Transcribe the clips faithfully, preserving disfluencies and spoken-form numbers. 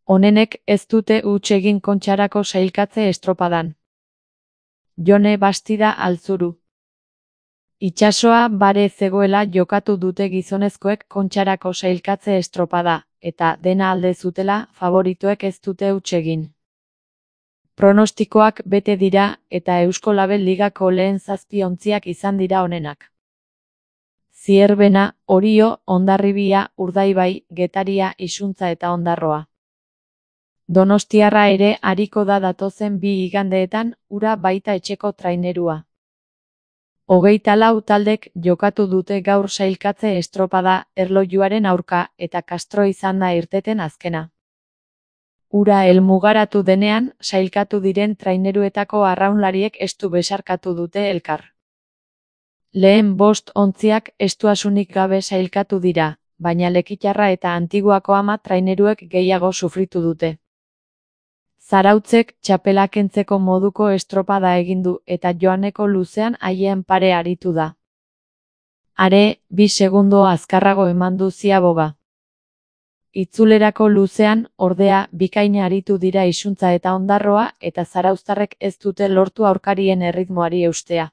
Onenek ez dute huts egin Kontxarako sailkatze estropadan. Jone Bastida Altzuru. Itsasoa bare zegoela jokatu dute gizonezkoek Kontxarako sailkatze estropada, eta dena alde zutela favoritoek ez dute huts egin. Pronostikoak bete dira eta Eusko Label Ligako lehen zazpi ontziak izan dira onenak. Zierbena, Orio, Hondarribia, Urdaibai, Getaria, Isuntza eta Ondarroa. Donostiarra ere ariko da datozen bi igandeetan, ura baita etxeko trainerua. Hogeita lau taldek jokatu dute gaur sailkatze estropada erlojuaren aurka eta Castro izan da irteten azkena. Ura helmugaratu denean, sailkatu diren traineruetako arraunlariek estu besarkatu dute elkar. Lehen bost ontziak estuasunik gabe sailkatu dira, baina Lekitarra eta Antiguako Ama traineruek gehiago sufritu dute. Zarautzek txapela kentzeko moduko estropada egin du eta joaneko luzean haien pare aritu da. Are, bi segundo azkarrago eman du Ziaboga. Itzulerako luzean, ordea, bikaina aritu dira Isuntza eta Ondarroa eta zarauztarrek ez dute lortu aurkarien erritmoari eustea.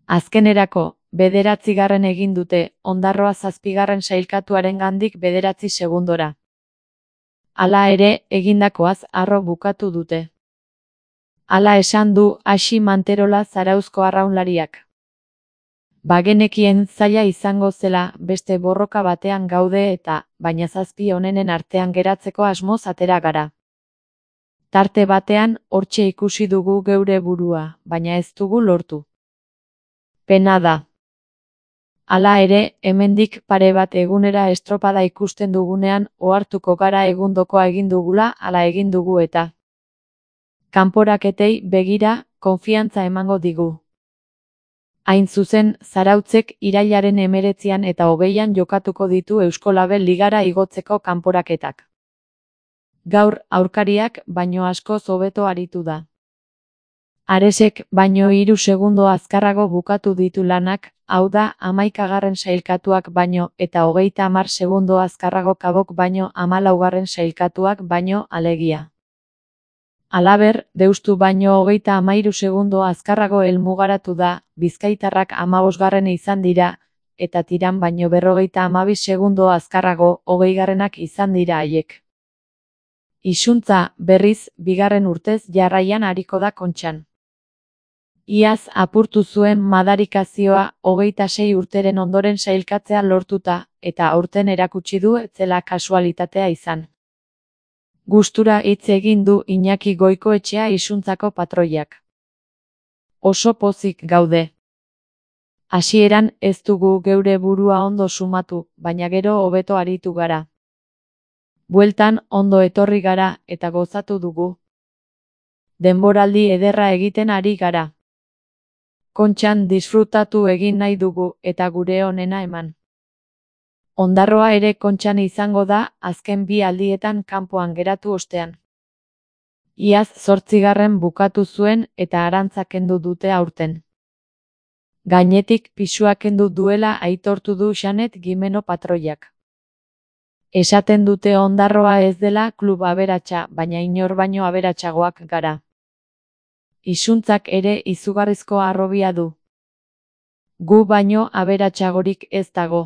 Azkenerako, bederatzigarren egin dute, Ondarroa zazpigarren sailkatuaren gandik bederatzi segundora. Hala ere, egindakoaz harro bukatu dute. Hala esan du Asi Manterola Zarauzko arraunlariak. Bagenekien zaila izango zela beste borroka batean gaude eta, baina zazpi onenen artean geratzeko asmoz atera gara. Tarte batean, hortxe ikusi dugu geure burua, baina ez dugu lortu. Pena da. Hala ere, hemendik pare bat egunera estropada ikusten dugunean ohartuko gara egundokoa egin dugula ala egin dugu eta. Kanporaketei begira, konfiantza emango digu. Hain zuzen, Zarautzek irailaren hemeretzian eta hogeian jokatuko ditu Eusko Label Ligara igotzeko kanporaketak. Gaur, aurkariak baino askoz hobeto aritu da. Aresek baino hiru segundo azkarrago bukatu ditu lanak, hau da, hamaikagarren sailkatuak baino eta hogeita hamar segundo azkarrago Kabok baino hamalaugarren sailkatuak baino alegia. Halaber, Deustu baino hogeita hamairu segundo azkarrago helmugaratu da, Bizkaitarrak hamabosgarren izan dira, eta Tiran baino berrogeita hamabi segundo azkarrago hogeigarrenak izan dira haiek. Isuntza, berriz, bigarren urtez jarraian ariko da Kontxan. Iaz apurtu zuen madarikazioa hogeita sei urteren ondoren sailkatzea lortuta, eta aurten erakutsi du ez zela kasualitatea izan. Gustura hitz egin du Iñaki Goikoetxea Isuntzako patroiak. Oso pozik gaude. Hasieran ez dugu geure burua ondo sumatu, baina gero hobeto aritu gara. Bueltan ondo etorri gara eta gozatu dugu. Denboraldi ederra egiten ari gara. Kontxan disfrutatu egin nahi dugu eta gure onena eman. Ondarroa ere Kontxan izango da azken bi aldietan kanpoan geratu ostean. Iaz zortzigarren bukatu zuen eta arantza kendu dute aurten. Gainetik pisua kendu duela aitortu du Xanet Gimeno patroiak. Esaten dute Ondarroa ez dela klub aberatsa, baina inor baino aberatsagoak gara. Isuntzak ere izugarrizko harrobia du. Gu baino aberatsagorik ez dago.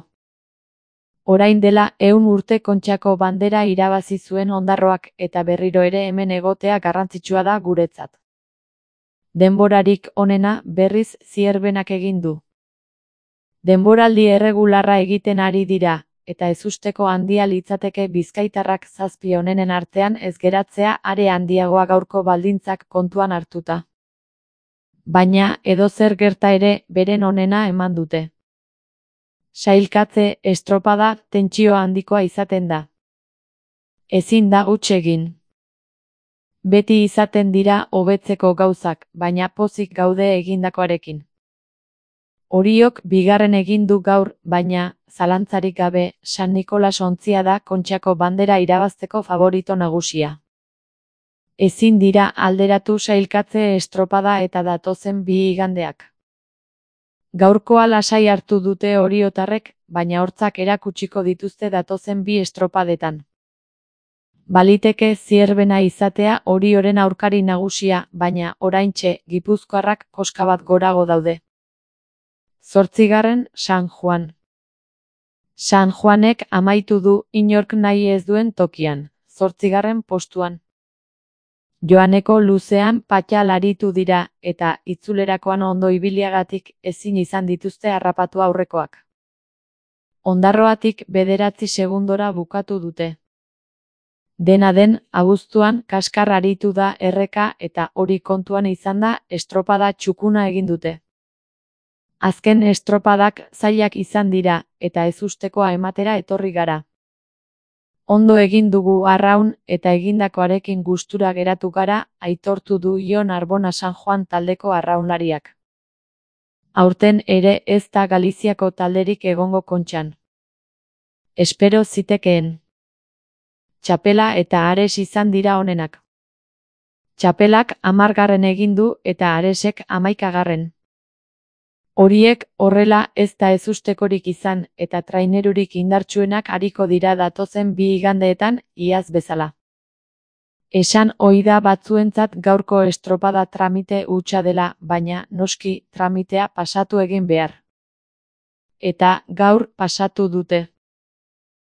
Orain dela ehun urte Kontxako bandera irabazi zuen Ondarroak eta berriro ere hemen egotea garrantzitsua da guretzat. Denborarik onena berriz Zierbenak egin du. Denboraldi erregularra egiten ari dira, eta ezusteko handia litzateke Bizkaitarrak zazpi onenen artean ez geratzea are handiagoa gaurko baldintzak kontuan hartuta. Baina edozer gerta ere beren onena eman dute. Sailkatze estropada tentsio handikoa izaten da. Ezin da huts egin. Beti izaten dira hobetzeko gauzak, baina pozik gaude egindakoarekin. Oriok bigarren egin du gaur, baina, zalantzarik gabe, San Nikolas ontzia da Kontxako bandera irabazteko favorito nagusia. Ezin dira alderatu sailkatze estropada eta datozen bi igandeak. Gaurkoa lasai hartu dute oriotarrek, baina hortzak erakutsiko dituzte datozen bi estropadetan. Baliteke Zierbena izatea Orioren aurkari nagusia, baina oraintxe gipuzkoarrak koska bat gorago daude. Zortzigarren San Juan. San Juanek amaitu du inork nahi ez duen tokian, zortzigarren postuan. Joaneko luzean patxal aritu dira, eta itzulerakoan ondo ibiliagatik ezin izan dituzte harrapatu aurrekoak. Ondarroatik bederatzi segundora bukatu dute. Dena den, abuztuan kaskar aritu da erreka eta hori kontuan izanda estropada txukuna egin dute. Azken estropadak zailak izan dira, eta ezustekoa ematera etorri gara. Ondo egin dugu arraun eta egindakoarekin gustura geratu gara, aitortu du Jon Arbona San Juan taldeko arraunlariak. Aurten ere ez da Galiziako talderik egongo kontxan. Espero zitekeen. Txapela eta Ares izan dira onenak. Txapelak hamargarren egin du eta Aresek hamaikagarren. Horiek horrela ez da ezustekorik izan eta trainerurik indartsuenak ariko dira datozen bi igandeetan iaz bezala. Esan ohi da batzuentzat gaurko estropada tramite hutsa dela, baina noski tramitea pasatu egin behar. Eta gaur pasatu dute.